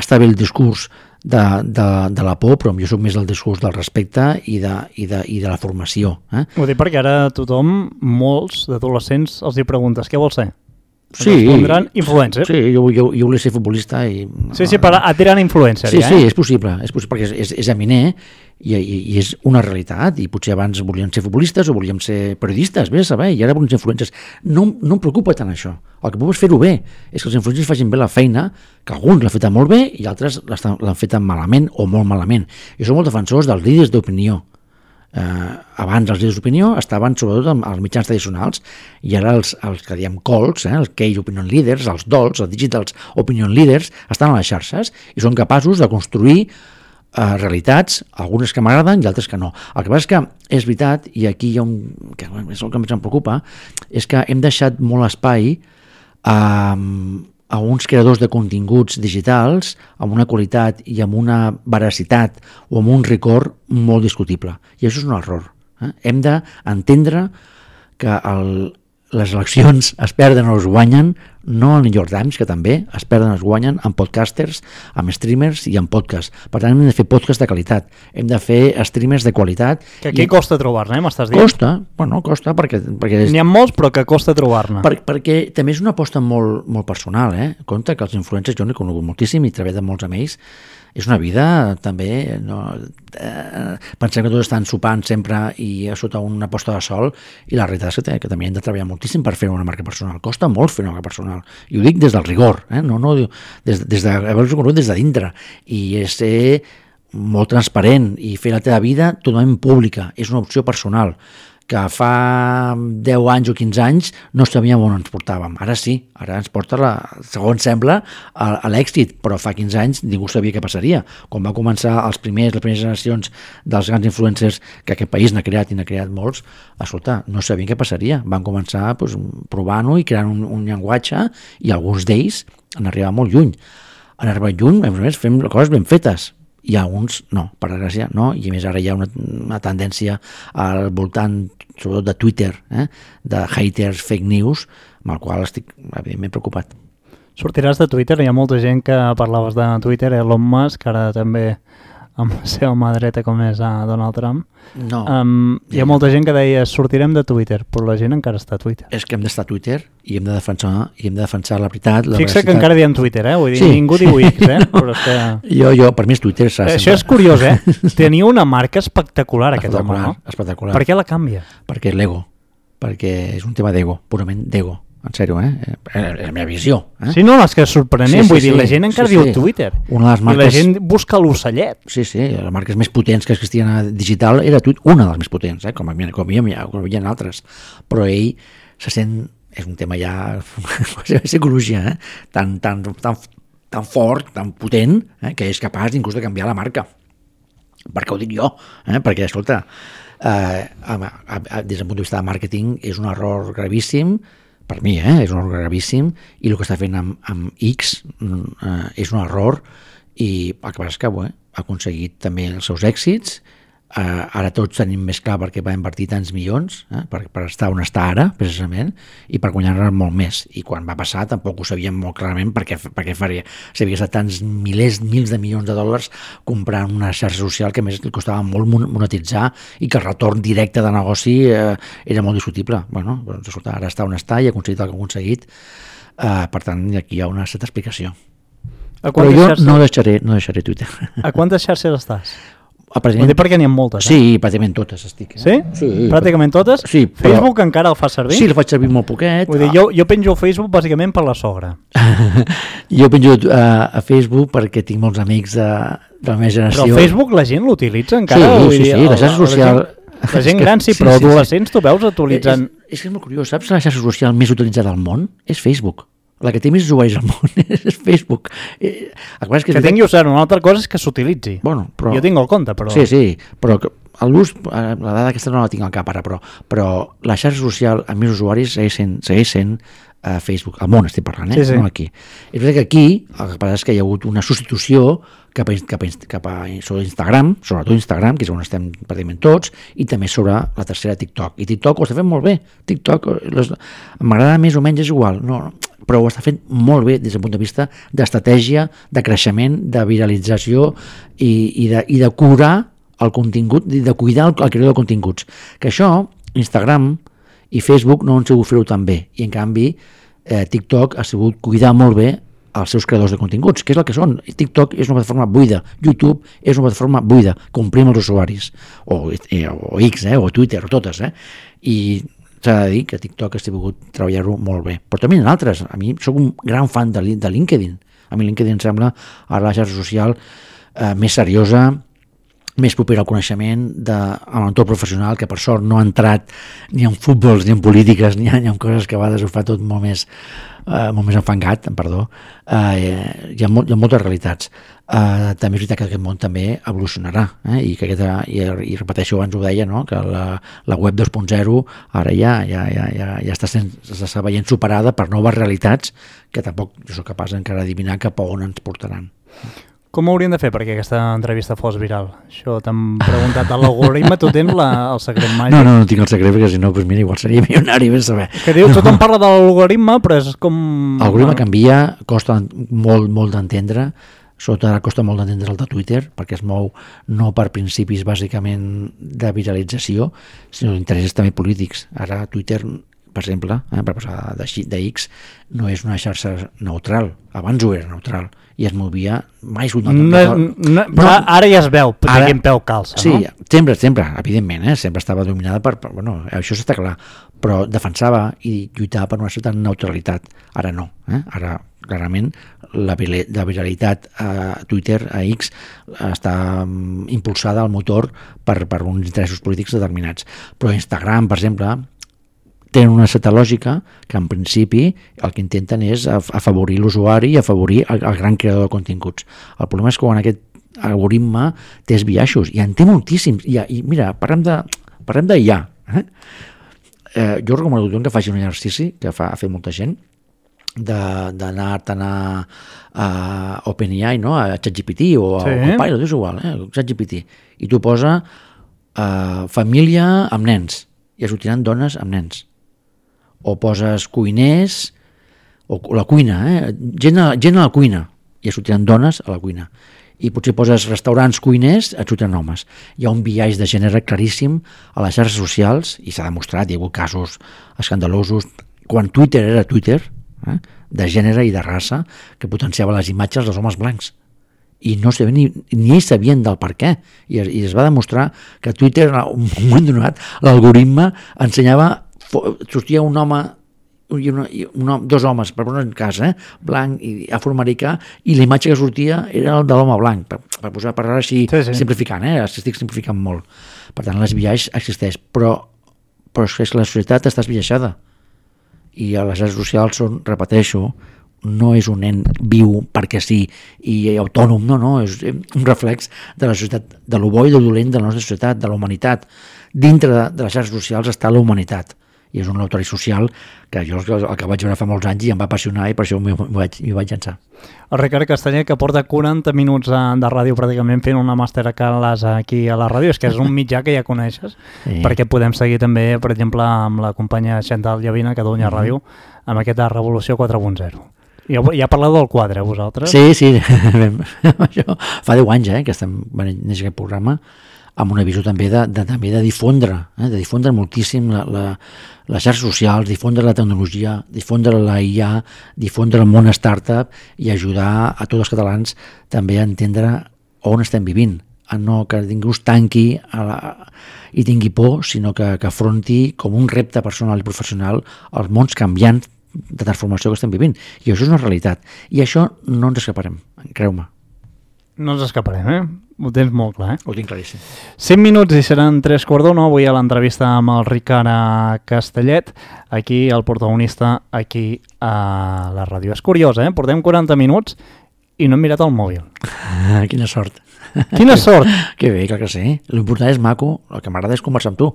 està bé el discurs de la por, però jo soc més del discurs del respecte i de la formació. Ho dic perquè ara tothom, molts d'adolescents, els hi preguntes què vols ser? Sí, respondran influencer. Sí, jo volia ser futbolista i... Sí, per atirar influencer. Sí, és possible, perquè és eminent i és una realitat, i potser abans volíem ser futbolistes o volíem ser periodistes, vés a saber, i ara volem ser influencers. No em preocupa tant això. El que puc és fer-ho bé, és que els influencers facin bé la feina, que alguns l'han fet molt bé i altres l'han fet malament o molt malament. Jo som molt defensors dels líders d'opinió. Abans els líders d'opinió estaven sobretot als mitjans tradicionals, i ara els que diem calls, els key opinion leaders, els dolls, els digital opinion leaders, estan a les xarxes i són capaços de construir realitats, algunes que m'agraden i altres que no. El que passa és que és veritat, i aquí hi ha que és el que més em preocupa, és que hem deixat molt espai a uns creadors de continguts digitals amb una qualitat i amb una veracitat o amb un rigor molt discutible. I això és un error. Hem d'entendre que les eleccions es perden o es guanyen, no al New York Times, que també es perden o es guanyen amb podcasters, amb streamers i amb podcasts. Per tant, hem de fer podcasts de qualitat, hem de fer streamers de qualitat. Que aquí costa trobar-ne, m'estàs dient? Costa perquè n'hi ha molts, però que costa trobar-ne. Perquè també és una aposta molt, molt personal, Compte que els influencers, jo n'he conegut moltíssim i treballat amb molts amb ells, és una vida també, pensem que tots estan sopant sempre i sota una posta de sol, i la realitat és que també hem de treballar moltíssim per fer una marca personal. Costa molt fer una marca personal, i ho dic des del rigor, no des d'haver-ho conegut des de dintre, i és ser molt transparent i fer la teva vida totalment pública. És una opció personal que fa 10 anys o 15 anys no sabíem on ens portàvem. Ara sí, ara ens porta, segons sembla, a l'èxit, però fa 15 anys ningú sabia què passaria. Quan va començar les primeres generacions dels grans influencers, que aquest país n'ha creat i n'ha creat molts, escolta, no sabien què passaria. Van començar provant-ho i creant un llenguatge, i alguns d'ells han arribat molt lluny. Han arribat lluny, a més, fem coses ben fetes. I alguns no, per desgràcia no, i a més ara hi ha una tendència al voltant, sobretot de Twitter, de haters, fake news, amb el qual estic evidentment preocupat. Sortiràs de Twitter? Hi ha molta gent que parlaves de Twitter, Elon Musk, ara també amb la seva mà dreta com és a Donald Trump. No. Hi ha molta gent que deia sortirem de Twitter, però la gent encara està a Twitter. És que hem d'estar a Twitter i hem de defensar la veritat. Fixa que encara diem Twitter, vull dir, sí. Ningú diu X, però és que... Jo, per mi és Twitter. Això és curiós, Tenia una marca espectacular, aquest home, no? Espectacular. Per què la canvia? Perquè l'ego, perquè és un tema d'ego, purament d'ego. En sèrio, és la meva visió. Sí, no, és que és sorprenent, vull dir, la gent encara diu Twitter. Una de les marques... I la gent busca l'ocellet. Sí, les marques més potents que existien digital era una de les més potents, com hi havia altres. Però ell se sent, és un tema ja de psicologia, tan fort, tan potent, que és capaç inclús de canviar la marca. Per què ho dic jo? Perquè, escolta, des del punt de vista de màrqueting és un error gravíssim, per mi, és un error gravíssim, i el que està fent amb X és un error, i el que passa és que ha aconseguit també els seus èxits. Ara tots tenim més clar per què va invertir tants milions, per estar on està ara, precisament, i per guanyar molt més. I quan va passar tampoc ho sabíem molt clarament per què faria. S'havia gastat tants mils de milions de dòlars comprant una xarxa social que a més li costava molt monetitzar i que el retorn directe de negoci era molt discutible. Doncs, escolta, ara està on està i ha aconseguit el que ha aconseguit. Per tant, aquí hi ha una certa explicació. Però jo no deixaré Twitter. A quantes xarxes estàs? Ho dic perquè n'hi ha moltes. Sí, pràcticament totes estic. Sí? Pràcticament totes? Sí, però... Facebook encara el fa servir? Sí, el faig servir molt poquet. Vull dir, jo penjo a Facebook bàsicament per la sogra. Jo penjo a Facebook perquè tinc molts amics de la meva generació. Però el Facebook la gent l'utilitza encara? Sí, la xarxa social... La gent gran sí, però adolescents tu veus utilitzant... És que és molt curiós, saps la xarxa social més utilitzada al món? És Facebook. La que té més usuaris al món és Facebook. Que tingui usar, una altra cosa és que s'utilitzi. Però... Jo tinc el compte, però... Sí, però l'ús, la dada aquesta no la tinc al cap ara, però la xarxa social amb més usuaris segueix sent Facebook. Al món estic parlant, no aquí. És veritat que aquí el que passa és que hi ha hagut una substitució cap a sobre Instagram, sobretot Instagram, que és on estem pràcticament tots, i també sobre la tercera TikTok. I TikTok ho està fent molt bé. TikTok m'agrada més o menys, és igual. No, però ho està fent molt bé des del punt de vista d'estratègia, de creixement, de viralització i de curar el contingut, de cuidar el creador de continguts. Que això, Instagram i Facebook no han sabut fer-ho tan bé. I en canvi, TikTok ha sabut cuidar molt bé els seus creadors de continguts, que és el que són. TikTok és una plataforma buida, YouTube és una plataforma buida, comprim els usuaris, o X, o Twitter, o totes, i s'ha de dir que TikTok ha sabut treballar-ho molt bé. Però també en altres. A mi soc un gran fan de LinkedIn. A mi LinkedIn em sembla ara la xarxa social més seriosa, més propera al coneixement a l'entorn professional, que per sort no ha entrat ni en futbols, ni en polítiques, ni en coses que a vegades ho fa tot molt més enfangat, perdó. Hi ha moltes realitats. També és veritat que aquest món també evolucionarà, i repeteixo, abans ho deia, no? Que la web 2.0 ara ja està veient superada per noves realitats que tampoc jo soc capaç encara d'adivinar cap a on ens portaran. Com ho hauríem de fer perquè aquesta entrevista fos viral? Això t'han preguntat a l'algoritme, tu tens el secret màgic? No tinc el secret, perquè si no, mira, igual seria milionari, ben saber. Que diu, tothom parla de l'algoritme, però és com... L'algoritme canvia, costa molt d'entendre, sobretot ara costa molt d'entendre el de Twitter, perquè es mou no per principis bàsicament de viralització, sinó d'interessos també polítics. Ara Twitter, per exemple, per passar de X, no és una xarxa neutral, abans ho era neutral, i es movia mai però ara ja es veu de quin peu calça, sí, no? Sempre, evidentment, sempre estava dominada per això està clar, però defensava i lluitava per una certa neutralitat. Ara no, ara clarament la viralitat a Twitter, a X, està impulsada al motor per uns interessos polítics determinats. Però Instagram, per exemple, tenen una certa lògica que en principi el que intenten és afavorir l'usuari i afavorir el gran creador de continguts. El problema és que quan aquest algoritme té esbiaixos, i en té moltíssims, i mira, parlem de IA. Jo recomano a tothom que faci un exercici que ha fet molta gent, d'anar-te'n a OpenAI, no? A ChatGPT o a Copilot, és igual, ChatGPT, i tu posa família amb nens, i es sortiran dones amb nens. O poses cuiners, o la cuina, gent a la cuina, i es sortiran dones a la cuina. i potser poses restaurants, cuiners, et surten homes. Hi ha un biaix de gènere claríssim a les xarxes socials, i s'ha demostrat, hi ha hagut casos escandalosos, quan Twitter era Twitter, de gènere i de raça, que potenciava les imatges dels homes blancs. I no sabien, ni ells sabien del per què. I es va demostrar que Twitter, en un moment donat, l'algoritme ensenyava, sortia un home, dos homes, per posar un cas, blanc i afroamericà, i la imatge que sortia era el de l'home blanc, per parlar així, sí. Simplificant, estic simplificant molt. Per tant, l'esbiaix existeix, però és que la societat està esbiaixada, i a les xarxes socials són, repeteixo, no és un nen viu perquè sí i autònom, no, és un reflex de la societat, de lo bo i de lo dolent de la nostra societat, de la humanitat. Dintre de les xarxes socials està la humanitat, i és un laboratori social que jo el que vaig veure fa molts anys i em va apassionar, i per això m'hi vaig llançar. El Ricard Castanyer, que porta 40 minuts de ràdio pràcticament fent una màster aquí a la ràdio, és que és un mitjà que ja coneixes, sí. Perquè podem seguir també, per exemple, amb la companya Xantal Llavina, a Catalunya Ràdio, amb aquesta Revolució 4.0. Ja parleu del quadre, vosaltres? Sí, això fa 10 anys que estem venint aquest programa, amb una visió també de difondre moltíssim les xarxes socials, difondre la tecnologia, difondre la IA, difondre el món startup i ajudar a tots els catalans també a entendre on estem vivint, a no que ningú es tanqui i tingui por, sinó que afronti com un repte personal i professional els mons canviants de transformació que estem vivint. I això és una realitat. I això no ens escaparem, creu-me. No ens escaparem, Ho tens molt clar, Ho tinc claríssim. 5 minuts i seran 3:15. Avui a l'entrevista amb el Ricard Castellet, aquí el protagonista, aquí a la ràdio. És curiós, Portem 40 minuts i no hem mirat el mòbil. Quina sort. Quina sort! Que bé, clar que sí. L'important és maco, el que m'agrada és conversar amb tu.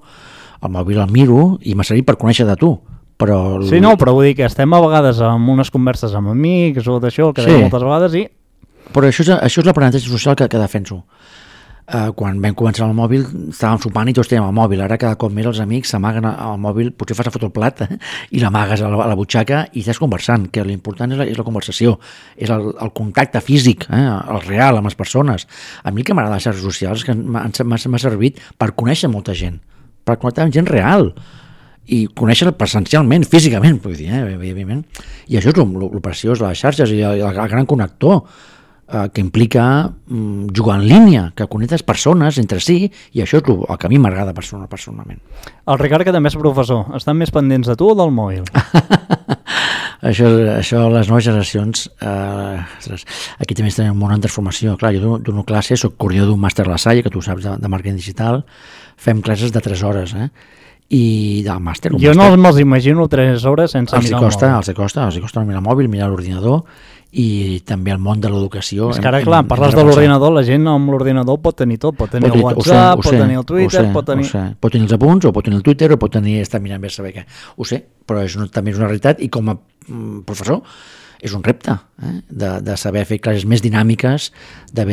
El mòbil el miro i m'ha servit per conèixer de tu. Però... Sí, no, però vull dir que estem a vegades amb unes converses amb amics o d'això, que deia moltes vegades i... Però això és l'aprenentatge social que defenso. Quan vam començar el mòbil estàvem sopant i tots teníem el mòbil. Ara cada cop més els amics s'amaguen al mòbil, potser fas a fotre el plat i l'amagues a la butxaca i estàs conversant, que l'important és la conversació, és el contacte físic, el real amb les persones. A mi el que m'agrada les xarxes socials és que m'ha servit per conèixer molta gent, per connectar amb gent real i conèixer presencialment, físicament, vull dir, evidentment. I això és el preciós de les xarxes i el gran connector, que implica jugar en línia, que connectes persones entre si, i això és el que a mi m'agrada personalment. El Ricard, que també és professor, estan més pendents de tu o del mòbil? Això, les noves generacions, aquí també estem en un món en transformació. Clar, jo dono classes, soc coordinador d'un màster a la Salle, que tu saps, de màrqueting digital, fem classes de 3 hores, i del màster. Jo no me'ls imagino 3 hores sense mirar el mòbil. Els costa no mirar el mòbil, mirar l'ordinador, i també el món de l'educació. És que ara, clar, parles de l'ordinador, la gent amb l'ordinador pot tenir tot, pot tenir el WhatsApp, pot tenir el Twitter, pot tenir... Pot tenir els apunts, o pot tenir el Twitter, o pot tenir estar mirant bé saber què. Ho sé, però també és una realitat, i com a professor és un repte, de saber fer classes més dinàmiques, de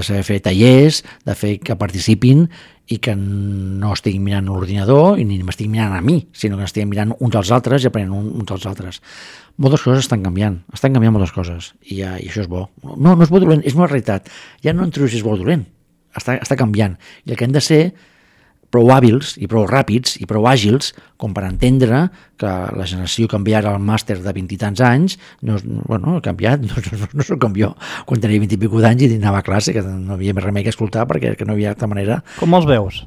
saber fer tallers, de fer que participin i que no estiguin mirant l'ordinador i ni m'estiguin mirant a mi, sinó que estiguin mirant uns als altres i aprenent uns als altres. Moltes coses estan canviant moltes coses, i això és bo. No és bo o dolent, és una realitat. Ja no entro si és bo o dolent, està canviant. I el que hem de ser prou hàbils i prou ràpids i prou àgils com per entendre que la generació canviarà al màster de 20 i tants anys ha canviat, no soc com jo quan tenia 20 i pico d'anys i anava a classe, que no havia més remei que escoltar perquè no hi havia altra manera. Com els veus?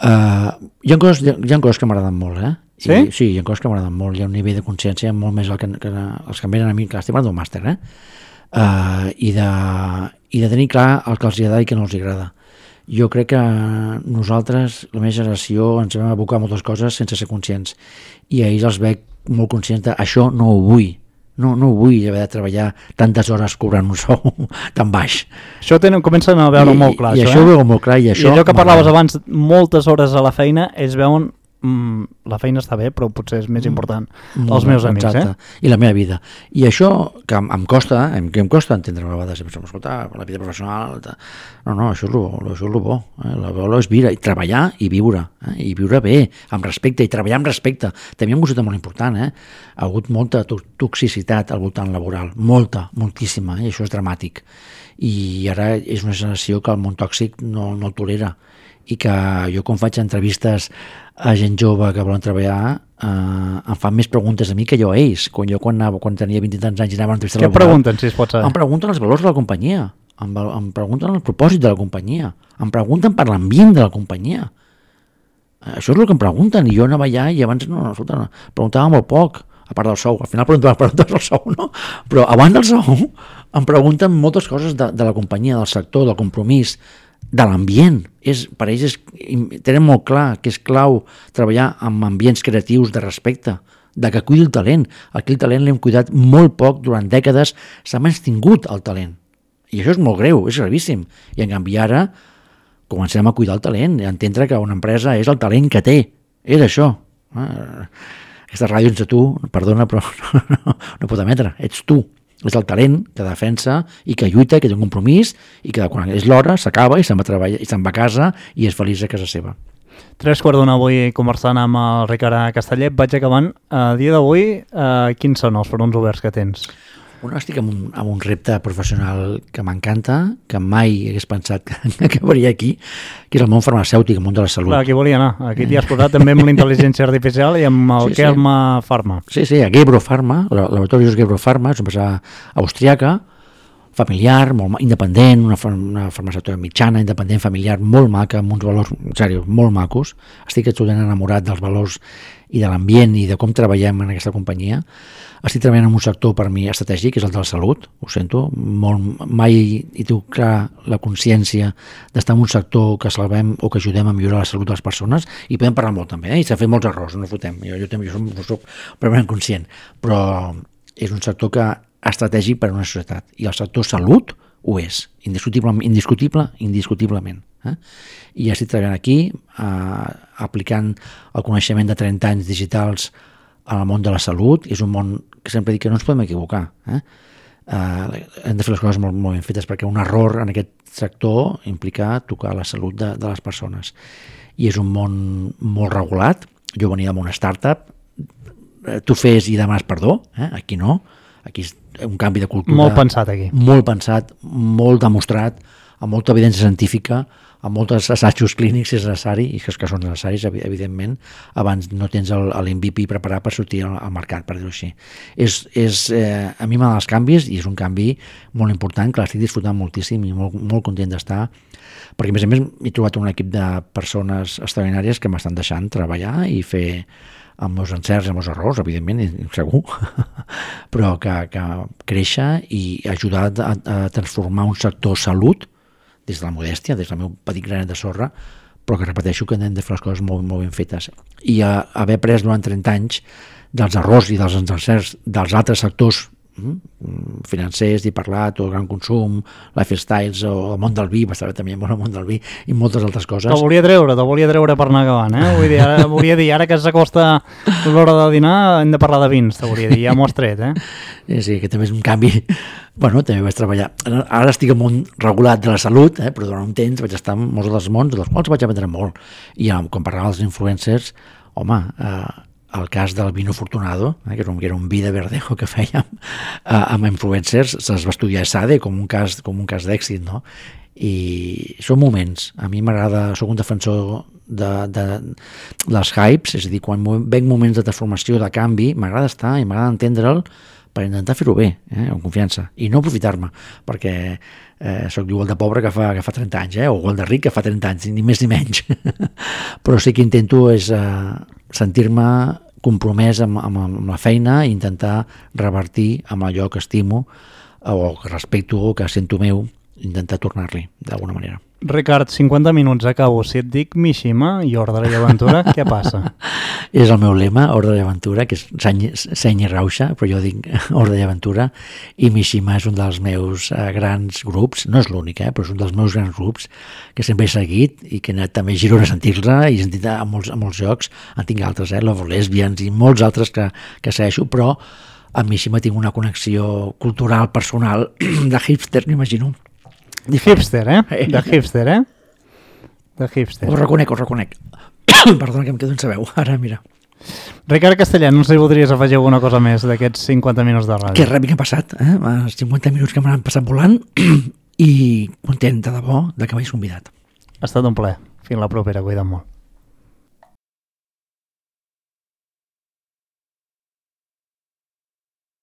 Hi ha coses que m'agraden molt, Sí? Sí, hi ha coses que m'agraden molt, hi ha un nivell de consciència molt més que els que em venen a mi, que estic parlant d'un màster, i de tenir clar el que els agrada i que no els agrada. Jo crec que nosaltres, la meva generació, ens vam abocar moltes coses sense ser conscients, i a ells els veig molt conscients de això no ho vull. No vull haver de treballar tantes hores cobrant un sou tan baix. Això comencen a veure molt clar. I això ho veu molt clar. I allò que parlaves abans, moltes hores a la feina, ells veuen la feina està bé, però potser és més important els meus amics. I la meva vida. I això que em costa entendre a vegades, escolta, la vida professional... No, això és el bo. La bo és viure, i treballar i viure. I viure bé, amb respecte, i treballar amb respecte. També un concepte molt important. Ha hagut molta toxicitat al voltant laboral. Moltíssima, i això és dramàtic. I ara és una generació que el món tòxic no el tolera. I que jo, quan faig entrevistes a gent jove que volen treballar, em fan més preguntes a mi que jo a ells. Quan tenia 20 i tants anys i anava a entrevistar laboral... Què pregunten, si es pot saber? Em pregunten els valors de la companyia, em pregunten el propòsit de la companyia, em pregunten per l'ambient de la companyia. Això és el que em pregunten, i jo anava allà i abans preguntava molt poc, a part del sou. Al final preguntava del sou, no? Però abans del sou em pregunten moltes coses de la companyia, del sector, del compromís, de l'ambient. Per ells tenen molt clar que és clau treballar amb ambients creatius de respecte, de que cuidi el talent. Aquí el talent l'hem cuidat molt poc, durant dècades s'ha menystingut el talent. I això és molt greu, és gravíssim. I en canvi ara comencem a cuidar el talent, a entendre que una empresa és el talent que té. És això. Aquesta ràdio ens a tu, perdona, però no pot emetre. Ets tu. És el talent que defensa i que lluita, que té un compromís, i que quan és l'hora s'acaba i se'n va a treballar, i se'n va a casa i és feliç a casa seva. 3:15 avui conversant amb el Ricard Castellet. Vaig acabant. A dia d'avui, quins són els fronts oberts que tens? Estic amb un repte professional que m'encanta, que mai hagués pensat que acabaria aquí, que és el món farmacèutic, el món de la salut. Aquí volia anar. Aquí t'hi has posat també amb la intel·ligència artificial i amb el Kelma Pharma. Sí, a Gebro Pharma, el laboratori és Gebro Pharma, és una empresa austríaca, familiar, molt independent, una farmacèutica mitjana, independent, familiar, molt maca, amb uns valors, en sèrio, molt macos. Estic absolutament enamorat dels valors i de l'ambient i de com treballem en aquesta companyia. Estic treballant en un sector per mi estratègic, que és el de la salut, ho sento, mai hi tinc clar la consciència d'estar en un sector que salvem o que ajudem a millorar la salut de les persones, i podem parlar molt també, i s'ha fet molts errors, no fotem, jo soc plenament conscient, però és un sector que estratègic per a una societat, i el sector salut ho és, indiscutiblement. I estic treballant aquí, aplicant el coneixement de 30 anys digitals en el món de la salut. És un món que sempre dic que no ens podem equivocar. Hem de fer les coses molt ben fetes, perquè un error en aquest sector implica tocar la salut de les persones. I és un món molt regulat. Jo venia d'una startup, tu fes i demanes perdó, aquí no. Aquí és un canvi de cultura. Molt pensat aquí. Molt pensat, molt demostrat, amb molta evidència científica, amb molts assajos clínics si és necessari, i que són necessaris, evidentment. Abans no tens l'MVP preparat per sortir al mercat, per dir-ho així. A mi m'agraden els canvis, i és un canvi molt important, que l'estic disfrutant moltíssim i molt content d'estar, perquè a més he trobat un equip de persones extraordinàries que m'estan deixant treballar i fer amb els encerts i amb els errors, evidentment, segur, però que créixer i ajudar a transformar un sector salut des de la modèstia, des del meu petit granet de sorra, però que repeteixo que hem de fer les coses molt ben fetes. I haver après durant 30 anys dels errors i dels encerts dels altres sectors financers, he parlat, o gran consum, lifestyles, o el món del vi, va estar també el món del vi, i moltes altres coses. Te'l volia treure per anar acabant, Vull dir, ara que s'acosta l'hora de dinar, hem de parlar de vins, te volia dir, ja m'ho has tret, Sí, que també és un canvi. Bueno, també vaig treballar. Ara estic en un món regulat de la salut, però durant un temps vaig estar en molts dels mons, dels quals vaig aprendre molt. I quan parlava dels influencers, home, el cas del vino Fortunado, que era un vi de verdejo que fèiem amb influencers, se'ls va estudiar a SADE com un cas d'èxit, no? I són moments. A mi m'agrada, soc un defensor dels hypes, és a dir, quan veig moments de transformació, de canvi, m'agrada estar i m'agrada entendre'l per intentar fer-ho bé, amb confiança, i no aprofitar-me, perquè soc igual de pobre que fa 30 anys, o igual de ric que fa 30 anys, ni més ni menys. Però sí que intento és sentir-me compromès amb la feina i intentar revertir amb allò que estimo o que respecto o que sento meu, intentar tornar-li d'alguna manera. Ricard, 50 minuts, acabo. Si et dic Mishima i Ordre i Aventura, què passa? És el meu lema, Ordre i Aventura, que és seny i rauxa, però jo dic Ordre i Aventura, i Mishima és un dels meus grans grups, no és l'únic, però és un dels meus grans grups que sempre he seguit i que he anat també a Girona a sentir-la i he sentit a molts jocs, en tinc altres, Love Lesbians i molts altres que segueixo, però amb Mishima tinc una connexió cultural, personal, de hipster, m'imagino. De hipster, De hipster, De hipster. Ho reconec. Perdona que em quedo sense veu. Ara, mira. Ricard Castellà, no sé si voldries afegir alguna cosa més d'aquests 50 minuts de ràdio. Que ràpid que ha passat, els 50 minuts que m'han passat volant i content de debò de que m'hagis convidat. Ha estat un plaer. Fins la propera, cuida't molt.